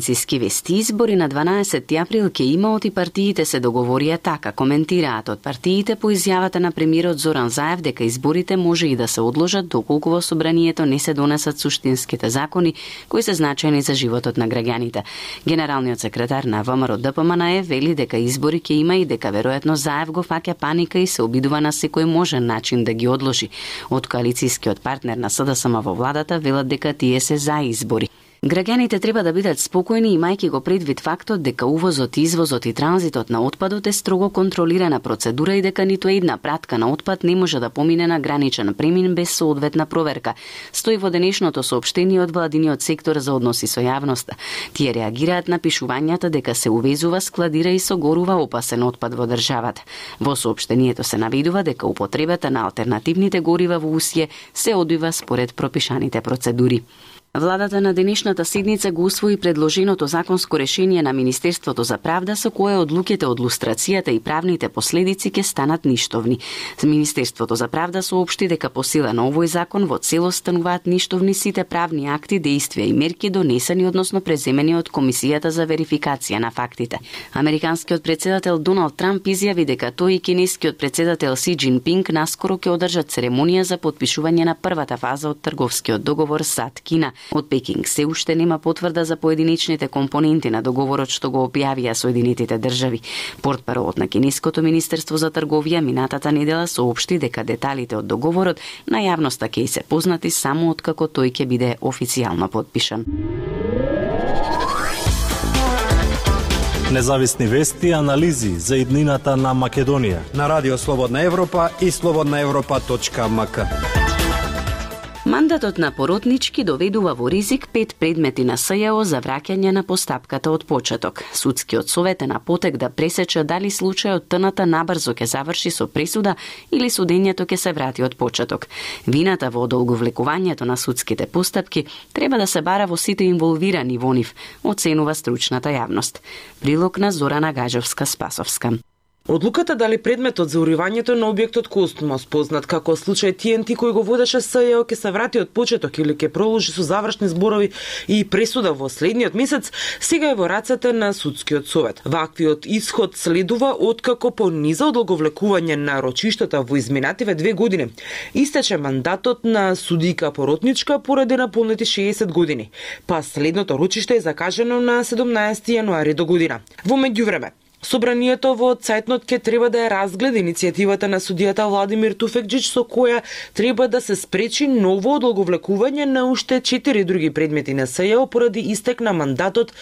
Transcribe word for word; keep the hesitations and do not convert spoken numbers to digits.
Циски вести избори на дванаесетти април ке имаат и партиите се договорија така, коментираат од партиите по изјавата на премиерот Зоран Заев дека изборите може и да се одложат доколку во собранието не се донесат суштинските закони кои се значајни за животот на граѓаните. Генералниот секретар на ВМРО Д П М Н Е вели дека избори ке има и дека веројатно Заев го фаќа паника и се обидува на секој можен начин да ги одложи. Од коалицијскиот партнер на С Д С М во владата велат дека тие се за избори. Граѓаните треба да бидат спокојни имајќи го предвид фактот дека увозот, извозот и транзитот на отпадот е строго контролирана процедура и дека ниту една пратка на отпад не може да помине на граничен премин без соодветна проверка. Стои во денешното соопштение од владиниот сектор за односи со јавноста. Тие реагираат на пишувањата дека се увезува, складира и согорува опасен отпад во државата. Во соопштението се наведува дека употребата на алтернативните горива во Усје се одвива според пропишаните процедури. Владата на денешната седница го усвои предложеното законско решение на Министерството за правда со кое одлуките од лустрацијата и правните последици ќе станат ништовни. Министерството за правда соопшти дека по сила на овој закон во целост стануваат ништовни сите правни акти, дејствија и мерки донесени односно преземени од Комисијата за верификација на фактите. Американскиот председател Доналд Трамп изјави дека тој и кинескиот председател Си Џинпинг наскоро ќе одржат церемонија за потпишување на првата фаза од трговскиот договор САД-Кина. Од Пекинг се уште нема потврда за поединечните компоненти на договорот што го објавија Соединетите држави. Портпаролот на Кинеското министерство за трговија минатата недела соопшти дека деталите од договорот на јавноста ќе се познати само откако тој ќе биде официјално потпишан. Независни вести и анализи за иднината на Македонија на Радио Слободна Европа и слободна европа точка м к. Мандатот на Поротнички доведува во ризик пет предмети на С Ј О за враќање на постапката од почеток. Судскиот совет е на потек да пресече дали случајот Т Н Т набрзо ќе заврши со пресуда или судењето ќе се врати од почеток. Вината во одолговлекувањето на судските постапки треба да се бара во сите инволвирани во нив, оценува стручната јавност. Прилог на Зорана Гаџевска-Спасовска. Одлуката дали предметот за уривањето на објектот Костмос, познат како случај Т Н Т кој го водеше С Ј О, ќе се врати од почеток или ќе продолжи со завршни зборови и пресуда во следниот месец, сега е во рацете на судскиот совет. Ваквиот исход следува откако по низа одолговлекување на рочиштата во изминативе две години истече мандатот на судика Поротничка поради наполнети шеесет години, па следното рочиште е закажано на седумнаесети јануари до година. Во меѓувреме, Собранието во Цајтнот ќе треба да ја разгледа иницијативата на судијата Владимир Туфекџич со која треба да се спречи ново одолговлекување на уште четири други предмети на С Ј О поради истек на мандатот